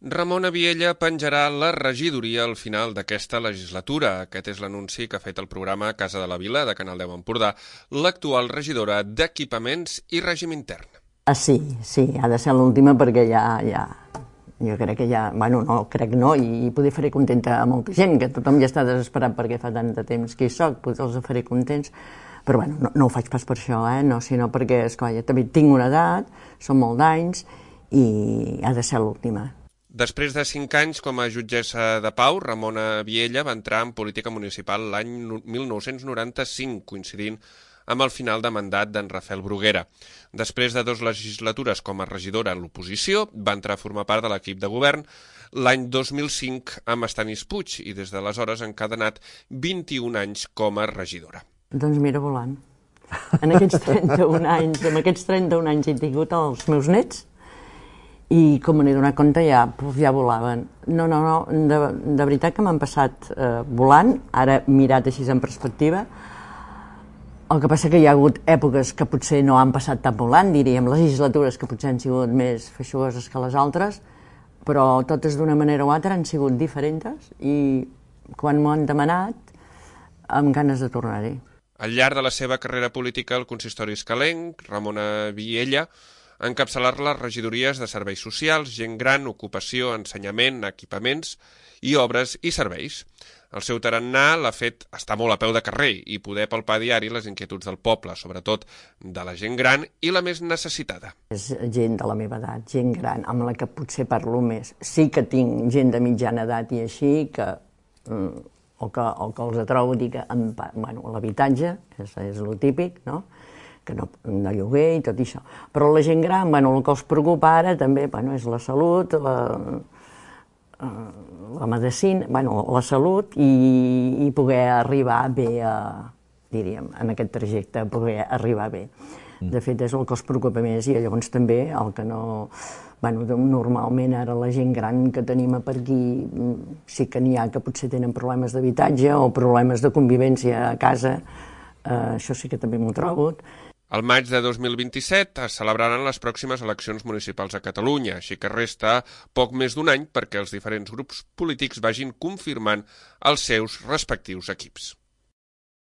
Ramon Abiella penjarà la regidoria al final d'aquesta legislatura. Aquest és l'anunci que ha fet el programa Casa de la Vila de Canal 10 Empordà, l'actual regidora d'Equipaments i Règim Intern. Sí, ha de ser l'última perquè jo crec que i poder faré contenta a molta gent, que tothom ja està desesperat perquè fa tant de temps que hi soc, potser els faré contents, però no ho faig pas per això, sinó perquè, esclar, jo també tinc una edat, són molts d'anys i ha de ser l'última. Després de 5 anys com a jutgessa de pau, Ramona Abiella va entrar en política municipal l'any 1995, coincidint amb el final de mandat d'en Rafael Bruguera. Després de 2 legislatures com a regidora a l'oposició, va entrar a formar part de l'equip de govern l'any 2005 amb Estanis Puig i des d'aleshores ha encadenat 21 anys com a regidora. Doncs mira, volant. En aquests 31 anys he tingut els meus nets i com me n'he donat compte ja volaven. No, de veritat que m'han passat volant, ara mirat així en perspectiva. El que passa que hi ha hagut èpoques que potser no han passat tan volant, diríem, legislatures que potser han sigut més feixuguoses que les altres, però totes d'una manera o altra han sigut diferents i quan m'ho han demanat, amb ganes de tornar-hi. Al llarg de la seva carrera política al consistori escalenc, Ramona Abiella encapçalar les regidories de serveis socials, gent gran, ocupació, ensenyament, equipaments i obres i serveis. El seu tarannà l'ha fet estar molt a peu de carrer i poder palpar a diari les inquietuds del poble, sobretot de la gent gran i la més necessitada. És gent de la meva edat, gent gran, amb la que potser parlo més. Sí que tinc gent de mitjana edat i així, o que els trobo, dic, l'habitatge, és el típic, no?, que no, de lloguer i tot això. Però la gent gran, el que els preocupa ara també és la salut, la medicina, la salut i poder arribar bé, diríem, en aquest trajecte, poder arribar bé. De fet, és el que els preocupa més i llavors també el que no... normalment ara la gent gran que tenim per aquí sí que n'hi ha que potser tenen problemes d'habitatge o problemes de convivència a casa, això sí que també m'ho trobo. Al maig de 2027 es celebraran les pròximes eleccions municipals a Catalunya, així que resta poc més d'un any perquè els diferents grups polítics vagin confirmant els seus respectius equips.